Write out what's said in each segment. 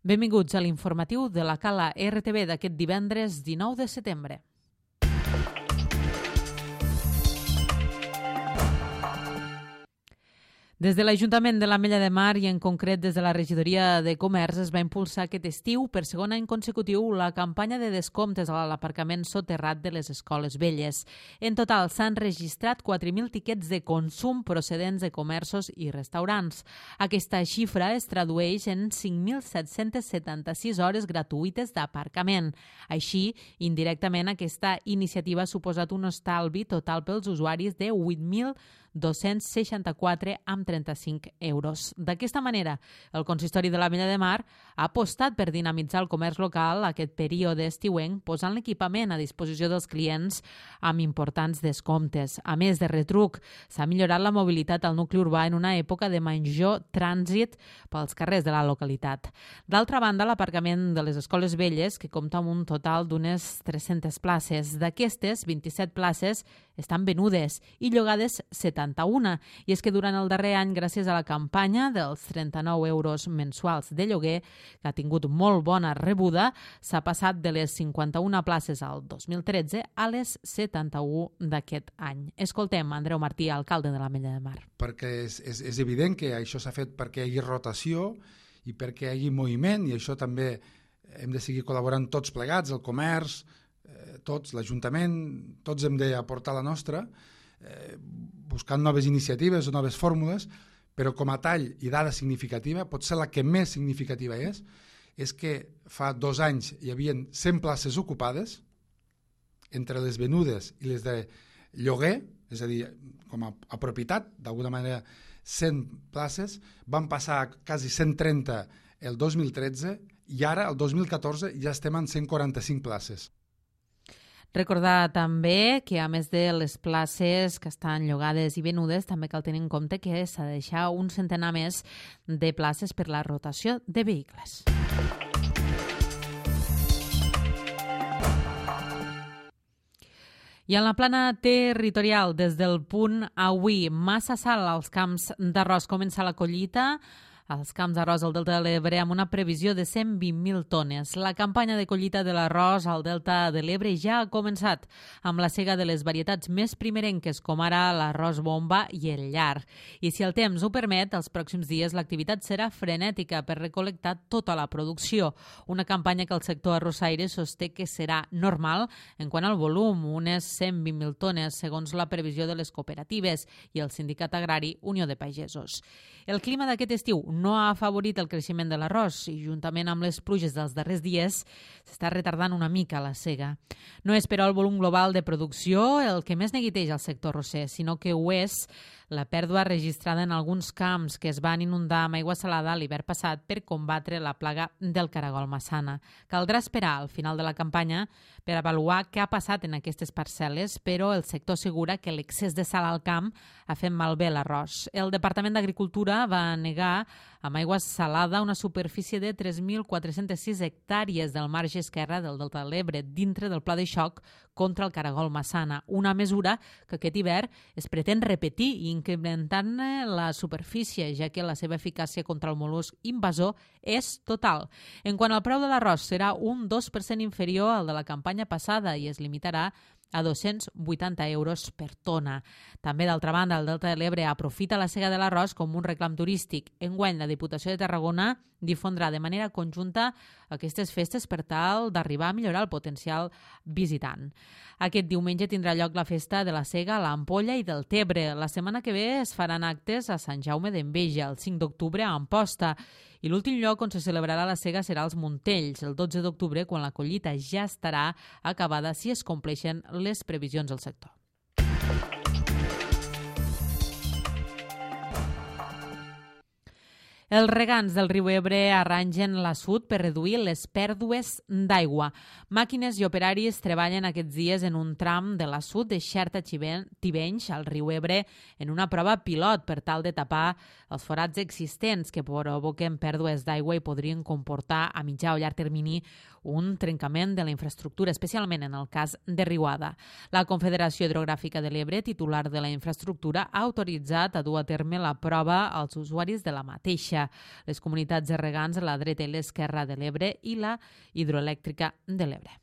Benvinguts a l'informatiu de la Cala RTV d'aquest divendres 19 de setembre. Des de l'Ajuntament de l'Ametlla de Mar i en concret des de la Regidoria de Comerç es va impulsar aquest estiu per segon any consecutiu la campanya de descomptes a l'aparcament soterrat de les escoles velles. En total s'han registrat 4.000 tiquets de consum procedents de comerços i restaurants. Aquesta xifra es tradueix en 5.776 hores gratuïtes d'aparcament. Així, indirectament, aquesta iniciativa ha suposat un estalvi total pels usuaris de 8.264 amb 35 euros. D'aquesta manera, el Consistori de l'Ametlla de Mar ha apostat per dinamitzar el comerç local aquest període estiuenc, posant l'equipament a disposició dels clients amb importants descomptes. A més de retruc, s'ha millorat la mobilitat al nucli urbà en una època de major trànsit pels carrers de la localitat. D'altra banda, l'aparcament de les escoles velles, que compta amb un total d'unes 300 places. D'aquestes, 27 places estan venudes i llogades 71. I és que durant el darrer any, gràcies a la campanya dels 39 euros mensuals de lloguer, que ha tingut molt bona rebuda, s'ha passat de les 51 places al 2013 a les 71 d'aquest any. Escoltem Andreu Martí, alcalde de l'Ametlla de Mar. Perquè és evident que això s'ha fet perquè hi hagi rotació i perquè hi hagi moviment, i això també hem de seguir col·laborant tots plegats, el comerç, tots, l'Ajuntament, tots hem d'aportar la nostra, buscant noves iniciatives o noves fórmules, però com a tall i dada significativa, potser la que més significativa és que fa 2 anys hi havia 100 places ocupades entre les venudes i les de lloguer, és a dir, com a propietat, d'alguna manera 100 places, van passar a quasi 130 el 2013 i ara, el 2014, ja estem en 145 places. Recordar també que, a més de les places que estan llogades i venudes, també cal tenir en compte que s'ha de deixar un centenar més de places per la rotació de vehicles. I en la plana territorial, des del punt avui, massa sal als camps d'arròs. Comença la collita als camps d'arròs al Delta de l'Ebre amb una previsió de 120.000 tones. La campanya de collita de l'arròs al Delta de l'Ebre ja ha començat amb la sega de les varietats més primerenques, com ara l'arròs bomba i el llar. I si el temps ho permet, els pròxims dies l'activitat serà frenètica per recol·lectar tota la producció. Una campanya que el sector arrossaire sosté que serà normal en quant al volum, unes 120.000 tones, segons la previsió de les cooperatives i el sindicat agrari Unió de Pagesos. El clima d'aquest estiu no ha afavorit el creixement de l'arròs i, juntament amb les pluges dels darrers dies, s'està retardant una mica la sega. No és, però, el volum global de producció el que més neguiteja el sector arrosser, sinó que ho és la pèrdua registrada en alguns camps que es van inundar amb aigua salada l'hivern passat per combatre la plaga del caragol massana. Caldrà esperar al final de la campanya per avaluar què ha passat en aquestes parcel·les, però el sector assegura que l'excés de sal al camp ha fet malbé l'arròs. El Departament d'Agricultura va negar amb aigua salada una superfície de 3.406 hectàrees del marge esquerre del Delta de l'Ebre dintre del pla de xoc contra el caragol massana, una mesura que aquest hivern es pretén repetir i incrementant la superfície, ja que la seva eficàcia contra el mol·lusc invasor és total. En quant al preu de l'arròs, serà un 2% inferior al de la campanya passada i es limitarà a 280 euros per tona. També, d'altra banda, el Delta de l'Ebre aprofita la sega de l'arròs com un reclam turístic. Enguany, la Diputació de Tarragona difondrà de manera conjunta aquestes festes per tal d'arribar a millorar el potencial visitant. Aquest diumenge tindrà lloc la festa de la sega a l'Ampolla i del Tebre. La setmana que ve es faran actes a Sant Jaume d'Enveja, el 5 d'octubre a Amposta, i l'últim lloc on se celebrarà la sega serà als Montells, el 12 d'octubre, quan la collita ja estarà acabada si es compleixen les previsions del sector. Els regants del riu Ebre arrangen l'assut per reduir les pèrdues d'aigua. Màquines i operaris treballen aquests dies en un tram de l'assut de Xerta-Tivenys al riu Ebre en una prova pilot per tal de tapar els forats existents que provoquen pèrdues d'aigua i podrien comportar a mitjà o llarg termini un trencament de la infraestructura, especialment en el cas de Riuada. La Confederació Hidrogràfica de l'Ebre, titular de la infraestructura, ha autoritzat a dur a terme la prova als usuaris de la mateixa. Baixa, les comunitats de regants, la dreta i l'esquerra de l'Ebre i la hidroelèctrica de l'Ebre.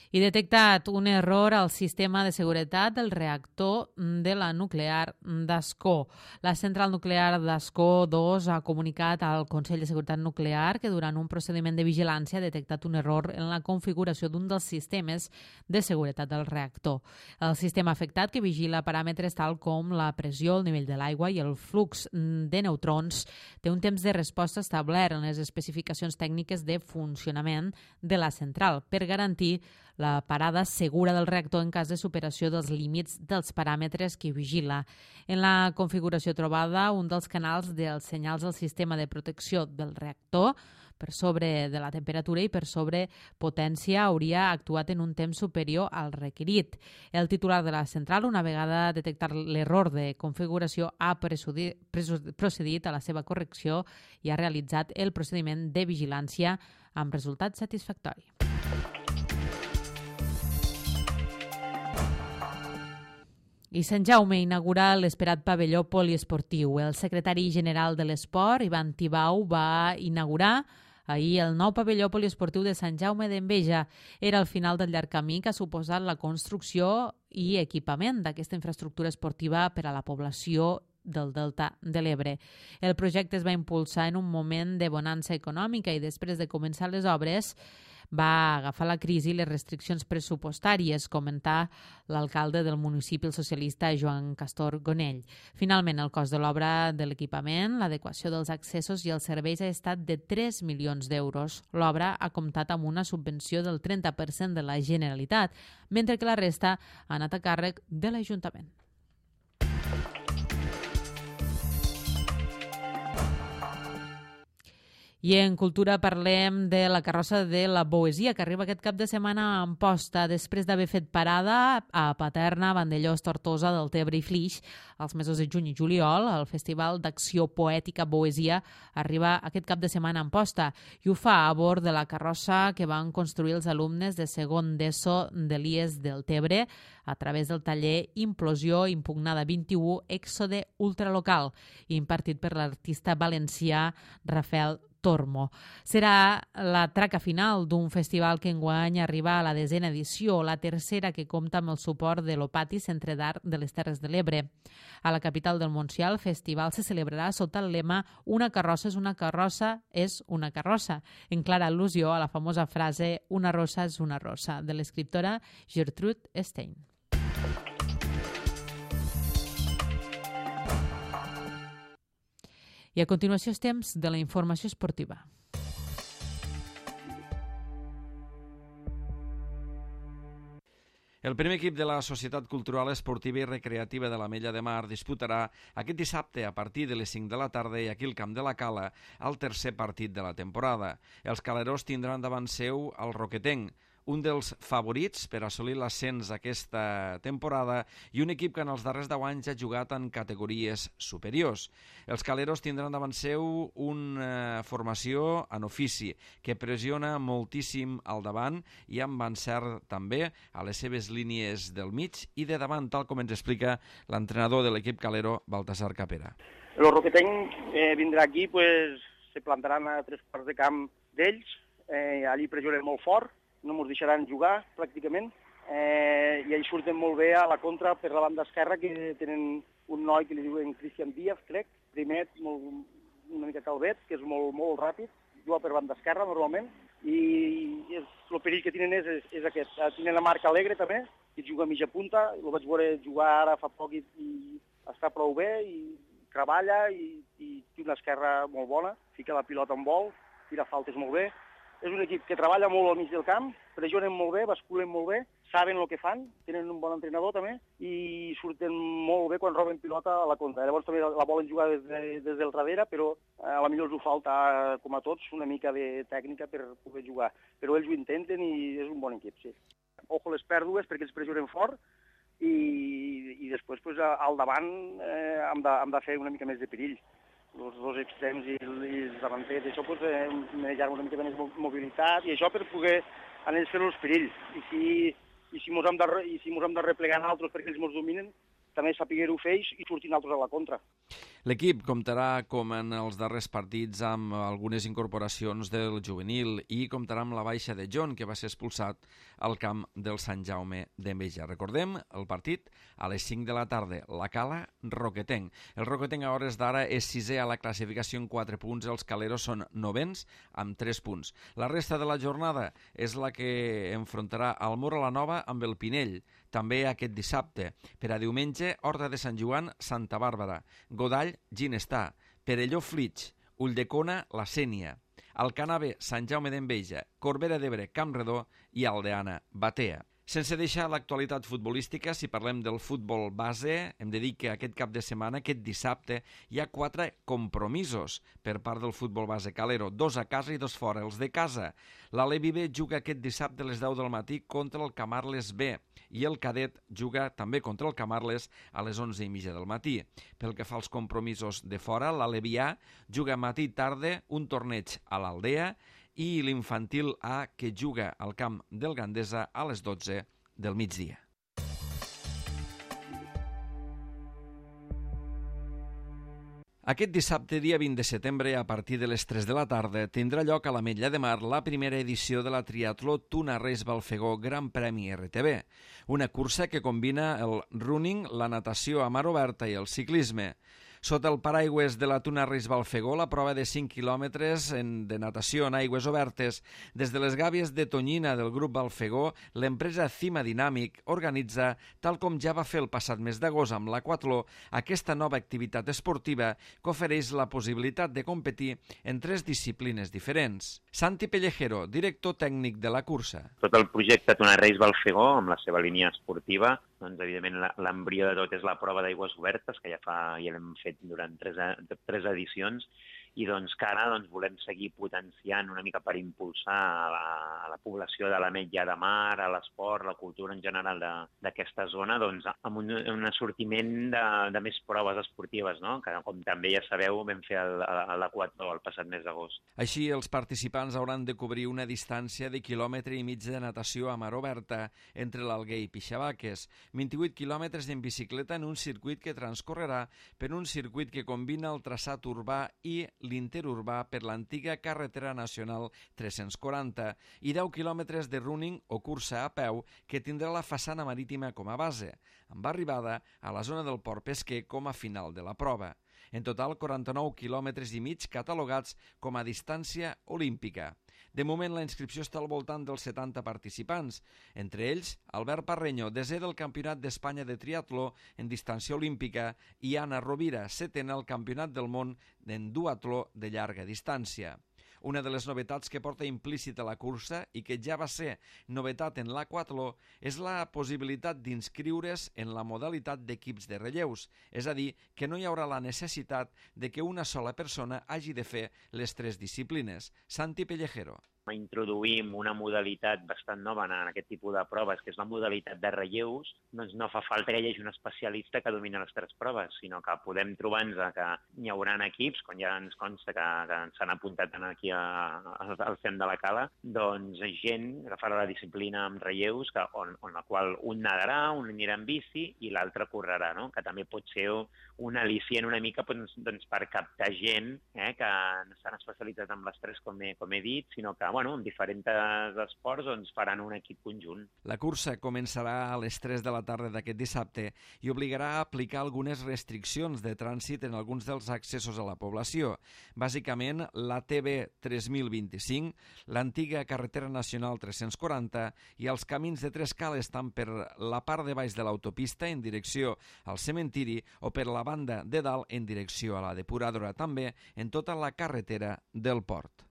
I detectat un error al sistema de seguretat del reactor de la nuclear d'Ascó. La central nuclear d'Ascó 2 ha comunicat al Consell de Seguretat Nuclear que durant un procediment de vigilància ha detectat un error en la configuració d'un dels sistemes de seguretat del reactor. El sistema afectat, que vigila paràmetres tal com la pressió, el nivell de l'aigua i el flux de neutrons, té un temps de resposta establert en les especificacions tècniques de funcionament de la central per garantir la parada segura del reactor en cas de superació dels límits dels paràmetres que vigila. En la configuració trobada, un dels canals dels senyals del sistema de protecció del reactor per sobre de la temperatura i per sobre potència hauria actuat en un temps superior al requerit. El titular de la central, una vegada detectat l'error de configuració, ha procedit a la seva correcció i ha realitzat el procediment de vigilància amb resultat satisfactori. I Sant Jaume inaugura l'esperat pavelló poliesportiu. El secretari general de l'Esport, Ivan Tibau, va inaugurar ahir el nou pavelló poliesportiu de Sant Jaume d'Enveja. Era el final del llarg camí que ha suposat la construcció i equipament d'aquesta infraestructura esportiva per a la població del Delta de l'Ebre. El projecte es va impulsar en un moment de bonança econòmica i després de començar les obres va agafar la crisi i les restriccions pressupostàries, comentà l'alcalde del municipi, el socialista Joan Castor Gonell. Finalment, el cost de l'obra de l'equipament, l'adequació dels accessos i els serveis ha estat de 3 milions d'euros. L'obra ha comptat amb una subvenció del 30% de la Generalitat, mentre que la resta ha anat a càrrec de l'Ajuntament. I en cultura parlem de la carrossa de la Boesia, que arriba aquest cap de setmana a Amposta, després d'haver fet parada a Paterna, Vandellòs, Tortosa, Deltebre i Flix als mesos de juny i juliol. El Festival d'Acció Poètica Boesia arriba aquest cap de setmana a Amposta i ho fa a bord de la carrossa que van construir els alumnes de segon d'ESO de l'IES Deltebre a través del taller Implosió Impugnada 21 Èxode Ultralocal, impartit per l'artista valencià Rafael Tormo. Serà la traca final d'un festival que enguany arriba a la 10a edició, la tercera que compta amb el suport de l'Opati Centre d'Art de les Terres de l'Ebre. A la capital del Montsià, el festival se celebrarà sota el lema «Una carrossa és una carrossa és una carrossa», en clara al·lusió a la famosa frase «Una rossa és una rossa», de l'escriptora Gertrude Stein. I a continuació és temps de la informació esportiva. El primer equip de la Societat Cultural Esportiva i Recreativa de l'Ametlla de Mar disputarà aquest dissabte a partir de les 5 de la tarda i aquí al Camp de la Cala el tercer partit de la temporada. Els calerós tindran davant seu el Roquetenc, un dels favorits per assolir l'ascens aquesta temporada i un equip que en els darrers 10 anys ha jugat en categories superiors. Els caleros tindran davant seu una formació en ofici que pressiona moltíssim al davant i amb encert també a les seves línies del mig i de davant, tal com ens explica l'entrenador de l'equip calero, Baltasar Capera. El Roquetenc vindrà aquí, se plantaran a 3 quarts de camp d'ells, allí pressionen molt fort, no ens deixaran jugar pràcticament i ells surten molt bé a la contra per la banda esquerra, que tenen un noi que li diuen Cristian Díaz, crec, primet, una mica calvet, que és molt ràpid, juga per banda esquerra normalment i el perill que tenen és aquest. Tenen la Marc Alegre també, que juga a mitja punta, el vaig veure jugar ara fa poc i està prou bé i treballa i té una esquerra molt bona, fica la pilota en vol, tira faltes molt bé. És un equip que treballa molt al mig del camp, pressionen molt bé, basculen molt bé, saben el que fan, tenen un bon entrenador també i surten molt bé quan roben pilota a la contra. Llavors també la volen jugar des del darrere, però a la millor els ho falta, com a tots, una mica de tècnica per poder jugar. Però ells ho intenten i és un bon equip, sí. Ojo les pèrdues perquè ells pressionen fort i després al davant hem de fer una mica més de perill. Els dos extrems i els davanters, això manejar una mica més mobilitat i això per poder anar fer els perills. I si mos hem de replegar en altres perquè ells mos dominen, també sapiguer-ho fer i sortir altres a la contra. L'equip comptarà, com en els darrers partits, amb algunes incorporacions del juvenil i comptarà amb la baixa de John, que va ser expulsat al camp del Sant Jaume d'Enveja. Recordem, el partit a les 5 de la tarda, la Cala, Roquetenc. El Roquetenc a hores d'ara és 6è a la classificació amb 4 punts, els caleros són 9ens amb 3 punts. La resta de la jornada és la que enfrontarà el Móra la Nova amb el Pinell, també aquest dissabte. Per a diumenge, Horta de Sant Joan, Santa Bàrbara, Godall, Ginestar, Perelló, Flix, Ulldecona, La Sénia, Alcanave, Sant Jaume d'Enveja, Corbera d'Ebre, Campredó i Aldeana, Batea. Sense deixar l'actualitat futbolística, si parlem del futbol base, hem de dir que aquest cap de setmana, aquest dissabte, hi ha 4 compromisos per part del futbol base calero, 2 a casa i 2 fora. Els de casa, l'Alevi B juga aquest dissabte a les 10 del matí contra el Camarles B i el Cadet juga també contra el Camarles a les 11:30 del matí. Pel que fa als compromisos de fora, l'Alevi A juga matí i tarda un torneig a l'Aldea i l'infantil A, que juga al camp del Gandesa a les 12 del migdia. Aquest dissabte, dia 20 de setembre, a partir de les 3 de la tarda, tindrà lloc a l'Ametlla de Mar la primera edició de la triatló Tuna Reis Balfegó Gran Premi RTV, una cursa que combina el running, la natació a mar oberta i el ciclisme. Sota el paraigües de la Tuna Reis Balfegó, la prova de 5 quilòmetres de natació en aigües obertes. Des de les gàbies de Tonyina del grup Balfegó, l'empresa Cima Dinàmic organitza, tal com ja va fer el passat mes d'agost amb l'Aquatló, aquesta nova activitat esportiva que ofereix la possibilitat de competir en 3 disciplines diferents. Santi Pellejero, director tècnic de la cursa. Tot el projecte Tuna Reis Balfegó, amb la seva línia esportiva, doncs evidentment l'embrió de tot és la prova d'aigües obertes, que ja l'hem fet durant 3 edicions, i doncs que ara volem seguir potenciant una mica per impulsar a la població de l'Ametlla de Mar, a l'esport, la cultura en general d'aquesta zona, doncs amb un assortiment de més proves esportives, no? Que com també ja sabeu vam fer l'Aquatló el passat mes d'agost. Així, els participants hauran de cobrir una distància de 1,5 quilòmetres de natació a mar oberta entre l'Alguer i Pixabaques, 28 quilòmetres en bicicleta en un circuit que transcorrerà per un circuit que combina el traçat urbà i l'interurbà per l'antiga carretera nacional 340 i 10 quilòmetres de running o cursa a peu que tindrà la façana marítima com a base, amb arribada a la zona del port pesquer com a final de la prova. En total, 49,5 quilòmetres catalogats com a distància olímpica. De moment, la inscripció està al voltant dels 70 participants, entre ells Albert Parreño, 10è del Campionat d'Espanya de triatló en distància olímpica, i Anna Rovira, 7a al Campionat del món en duatló de llarga distància. Una de les novetats que porta implícita la cursa i que ja va ser novetat en l'Aquatló és la possibilitat d'inscriure's en la modalitat d'equips de relleus, és a dir, que no hi haurà la necessitat de que una sola persona hagi de fer les 3 disciplines. Santi Pellejero. Introduïm una modalitat bastant nova en aquest tipus de proves, que és la modalitat de relleus. Doncs no fa falta que hi hagi un especialista que domini les 3 proves, sinó que podem trobar-nos que hi haurà equips, com ja ens consta que s'han apuntat aquí al CEM de la Cala, doncs gent que farà la disciplina amb relleus, on la qual un nadarà, un anirà en bici i l'altre correrà, no? Que també pot ser un al·licient una mica doncs, per captar gent que no s'han especialitzat en les 3, com he dit, sinó que en diferents esports faran un equip conjunt. La cursa començarà a les 3 de la tarda d'aquest dissabte i obligarà a aplicar algunes restriccions de trànsit en alguns dels accessos a la població. Bàsicament, la TB 3025, l'antiga carretera nacional 340 i els camins de 3 cales tant per la part de baix de l'autopista en direcció al cementiri o per la banda de dalt en direcció a la depuradora, també en tota la carretera del port.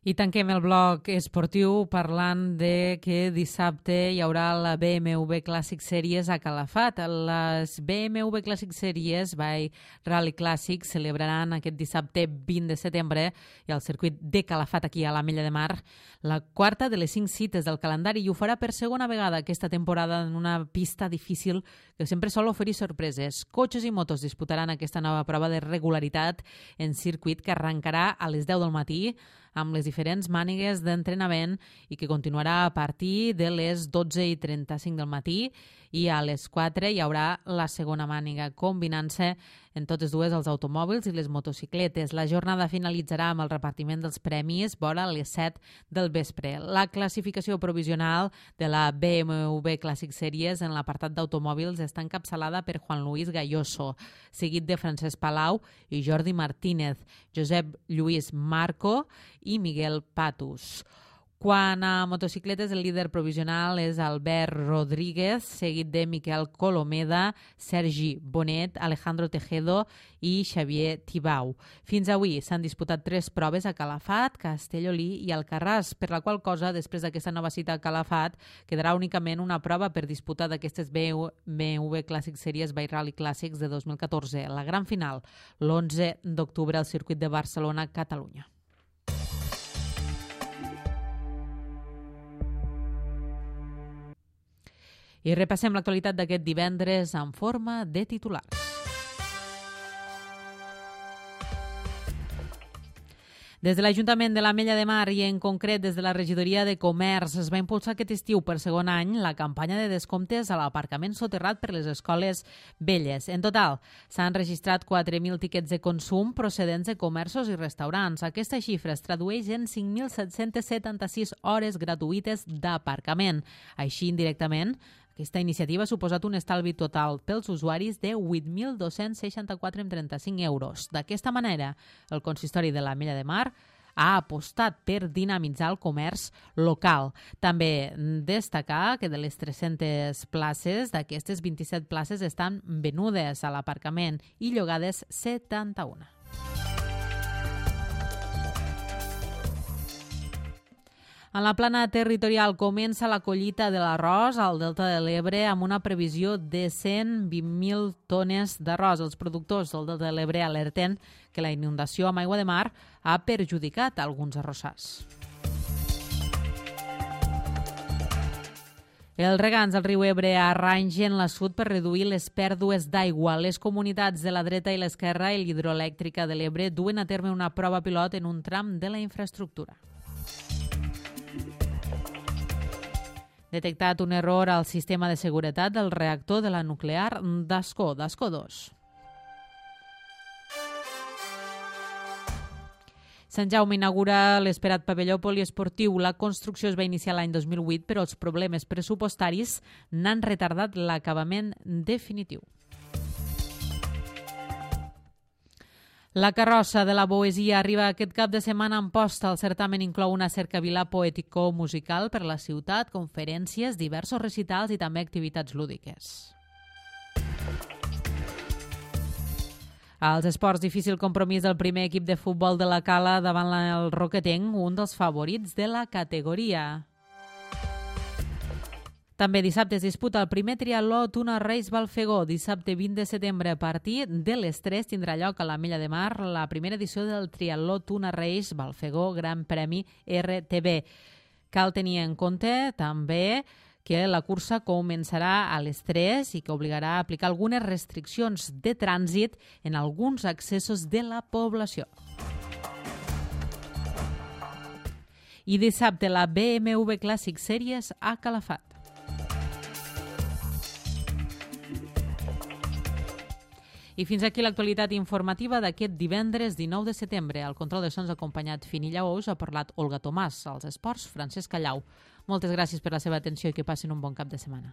I tanquem el bloc esportiu parlant de que dissabte hi haurà la BMW Classic Series a Calafat. Les BMW Classic Series by Rally Classic celebraran aquest dissabte 20 de setembre i al circuit de Calafat, aquí a l'Ametlla de Mar, la 4ª de les 5 cites del calendari, i ho farà per segona vegada aquesta temporada en una pista difícil que sempre sol oferir sorpreses. Cotxes i motos disputaran aquesta nova prova de regularitat en circuit que arrencarà a les 10 del matí amb les diferents mànigues d'entrenament i que continuarà a partir de les 12:35 del matí i a les 4 hi haurà la segona màniga, combinant-se en totes dues els automòbils i les motocicletes. La jornada finalitzarà amb el repartiment dels premis vora les 7 del vespre. La classificació provisional de la BMW Classic Series en l'apartat d'automòbils està encapçalada per Juan Luis Galloso, seguit de Francesc Palau i Jordi Martínez, Josep Lluís Marco i Miguel Patus. Quan a motocicletes, el líder provisional és Albert Rodríguez, seguit de Miquel Colomeda, Sergi Bonet, Alejandro Tejedo i Xavier Tibau. Fins avui s'han disputat 3 proves a Calafat, Castellolí i Alcarràs, per la qual cosa, després d'aquesta nova cita a Calafat, quedarà únicament una prova per disputar d'aquestes BMW Classic Series by Rally Classics de 2014. La gran final, l'11 d'octubre al circuit de Barcelona, Catalunya. I repassem l'actualitat d'aquest divendres en forma de titulars. Des de l'Ajuntament de l'Ametlla de Mar i en concret des de la Regidoria de Comerç es va impulsar aquest estiu per segon any la campanya de descomptes a l'aparcament soterrat per les escoles velles. En total, s'han registrat 4.000 tiquets de consum procedents de comerços i restaurants. Aquesta xifra es tradueix en 5.776 hores gratuïtes d'aparcament. Així, indirectament, aquesta iniciativa ha suposat un estalvi total pels usuaris de 8.264,35 euros. D'aquesta manera, el consistori de l'Ametlla de Mar ha apostat per dinamitzar el comerç local. També destacar que de les 300 places, d'aquestes 27 places estan venudes a l'aparcament i llogades 71. En la plana territorial comença la collita de l'arròs al Delta de l'Ebre amb una previsió de 120.000 tones d'arròs. Els productors del Delta de l'Ebre alerten que la inundació amb aigua de mar ha perjudicat alguns arrossars. Els regants del riu Ebre arrangen l'assut per reduir les pèrdues d'aigua. Les comunitats de la dreta i l'esquerra i l'hidroelèctrica de l'Ebre duen a terme una prova pilot en un tram de la infraestructura. Detectat un error al sistema de seguretat del reactor de la nuclear d'Ascó 2. Sant Jaume inaugura l'esperat pavelló poliesportiu. La construcció es va iniciar l'any 2008, però els problemes pressupostaris n'han retardat l'acabament definitiu. La carrossa de la Poesia arriba aquest cap de setmana a Amposta. El certamen inclou una cercavila poètico-musical per la ciutat, conferències, diversos recitals i també activitats lúdiques. Als esports, difícil compromís del primer equip de futbol de la Cala davant el Roquetenc, un dels favorits de la categoria. També dissabte es disputa el primer triatló Tuna Reis Balfegó. Dissabte 20 de setembre a partir de les 3 tindrà lloc a l'Ametlla de Mar la primera edició del triatló Tuna Reis Balfegó Gran Premi RTB. Cal tenir en compte també que la cursa començarà a les 3 i que obligarà a aplicar algunes restriccions de trànsit en alguns accessos de la població. I dissabte la BMW Classic Series a Calafat. I fins aquí l'actualitat informativa d'aquest divendres 19 de setembre. Al control de sons acompanyat Finilla Ous ha parlat Olga Tomàs, als esports Francesc Callau. Moltes gràcies per la seva atenció i que passin un bon cap de setmana.